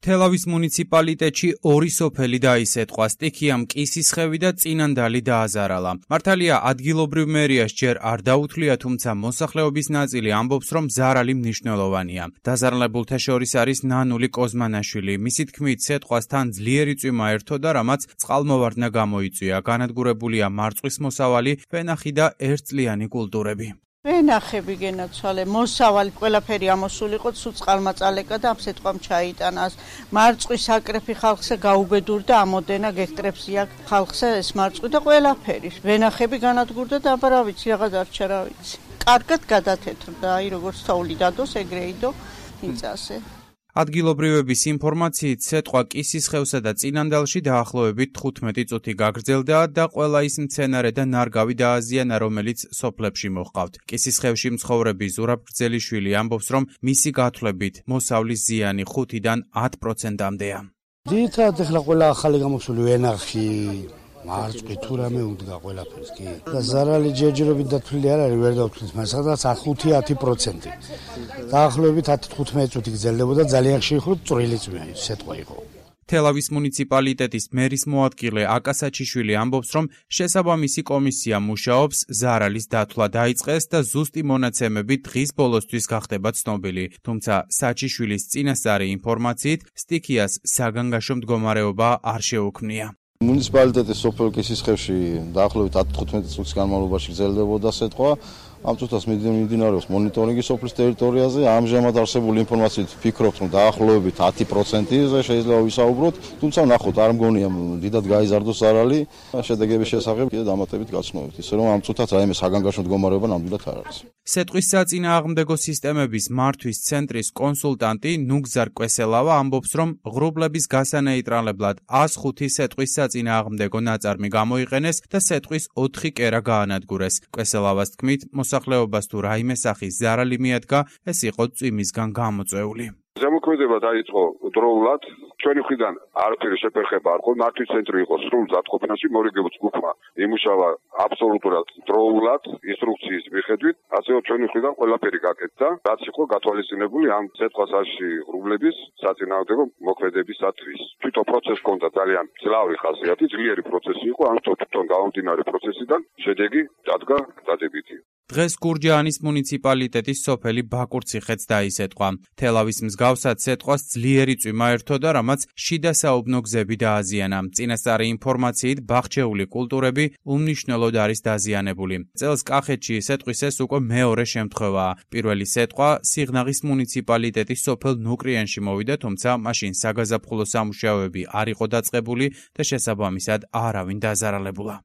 თელავის მუნიციპალიტეტში ორი სოფელი დაისეთყვა, სტიქიამ კისისხევი და წინანდალი დააზარალა. მართალია ადგილობრივ მერიას ჯერ არ დაუთვლია, თუმცა მოსახლეობის ნაწილი ამბობს, რომ ზარალი მნიშვნელოვანია. დაზარალებულთა შორის არის ნანული კოზმანაშვილი. მისი თქმით, სეთყვასთან ძლიერი წვიმა ერთოდა, რამაც წყალმოვარდნა გამოიწვია. განადგურებულია მარწყვის მოსავალი, ვენახი და ერთწლიანი კულტურები. ვენახები გენაცვალე, მოსავალი ყველაფერი ამოსული იყო, სულ წყალმაწალეკა და ამ სეთყვამ ჩაიტანას. მარწყვის აკრეფი ხალხზე გაუბედურდა, ამოდენა გექტრებს იქ ხალხზე ეს მარწყვი და ყველაფერი. ვენახები განადგურდა და აბა რა ვიცი, რაღაც არჩა რა ვიცი. კარგად გადათეთრდა, აი როგორც თოვლი დადოს, ეგრეიდო იწასე. ადგილობრივების ინფორმაციით, სეთყვა კისისხევსა და წინანდალში დაახლოებით 15 წუთი გაგრძელდა და ყველა ის მცენარე და ნარგავი დააზიანა, რომელიც სოფლებში მოჰყავთ. კისისხევში მცხოვრები ზურაბ გრძელიშვილი ამბობს, რომ მისი გათვლებით მოსავლის ზიანი 5-დან 10%-მდეა. ძირითადად ახლა ყველა ახალი გამოსული ვენახი მარწყი თუ რამე უდგა ყველაფერს კი. და ზარალი ჯერჯერობით დათვლილი არ არის, ვერ დავთვლით, მაგრამ სადღაც 5-10%. დაახლოებით 10-15 წუთი გრძელდებოდა, ძალიან ხშირი წვრილი სეთყვა იყო. თელავის მუნიციპალიტეტის მერის მოადგილე აკა საჩიშვილი ამბობს, რომ შესაბამისი კომისია მუშაობს, ზარალის დათვლა დაიწყეს და ზუსტი მონაცემები დღის ბოლოსთვის გახდება ცნობილი. თუმცა საჩიშვილის წინასწარი ინფორმაციით, სტიქიას საგანგაშო მდგომარეობა არ შეუქმნია. მუნიციპალიტეტის სოფელ კისისხევში დაახლოებით 10-15 წუთის განმავლობაში გრძელდებოდა სეთყვა. ამ წუთას მიმდინარეობს მონიტორინგი სოფლის ტერიტორიაზე. ამჟამად არსებული ინფორმაციით ვფიქრობთ, რომ დაახლოებით 10%-ზე შეიძლება ვისაუბროთ, თუმცა ნახოთ, არ მგონია დიდად გაიზარდოს ზარალი. შედეგების შესახებ კიდე დამატებით გაცნობთ, ისე რომ ამ წუთაც რაიმე საგანგაშო მდგომარეობა ნამდვილად არ არის. სეტყვის საწინააღმდეგო სისტემების მართვის ცენტრის კონსულტანტი ნუგზარ კვესელავა ამბობს, რომ ღრუბლების გასანეიტრალებლად 105 სეტყვის საწინააღმდეგო ნაწარმი გამოიყენეს და სეტყვის 4 კერა გაანადგურეს. კვესელავას თქმით, მოსახლეობას თუ რაიმე სახის ზარალი მიადგა, ეს იყო წვიმისგან გამოწვეული. ზემოქმედება დაიწყო დროულად, ჩვენი მხრიდან არაფერი შეფერხება არ ყო, მართვის ცენტრი იყო სრულ ზაფხობნაში, მორიგებულ ჯგუფმა იმუშავა აბსოლუტურად დროულად, ინსტრუქციის მიხედვით, ასევე ჩვენი მხრიდან ყველაფერი გაკეთდა, რაც იყო გათვალისწინებული ამ სეთყვასაში ღრუბლების საწინააღმდეგო მოქმედებისათვის. თვითონ პროცესი ჰქონდა ძალიან ძლავრი ხასიათი, ძლიერი პროცესი იყო, ამიტომ თვითონ გამომდინარე პროცესიდან შედეგი დადგა დადებითი. დღეს გურჯაანის მუნიციპალიტეტის სოფელი ბაკურციხეც დაისეთყვა. თელავის მსგავსად სეთყვას ძლიერი წვიმა ერთოდა, რამაც შიდა საუბნო გზები დააზიანა. წინასწარი ინფორმაციით ბაღჩეული კულტურები უმნიშვნელოდ არის დაზიანებული. წელს კახეთში სეთყვის ეს უკვე მეორე შემთხვევაა. პირველი სეთყვა სიღნაღის მუნიციპალიტეტის სოფელ ნუკრიანში მოვიდა, თუმცა მაშინ საგაზაფხულო სამუშაოები არ იყო დაწყებული და შესაბამისად არავინ დაზარალებულა.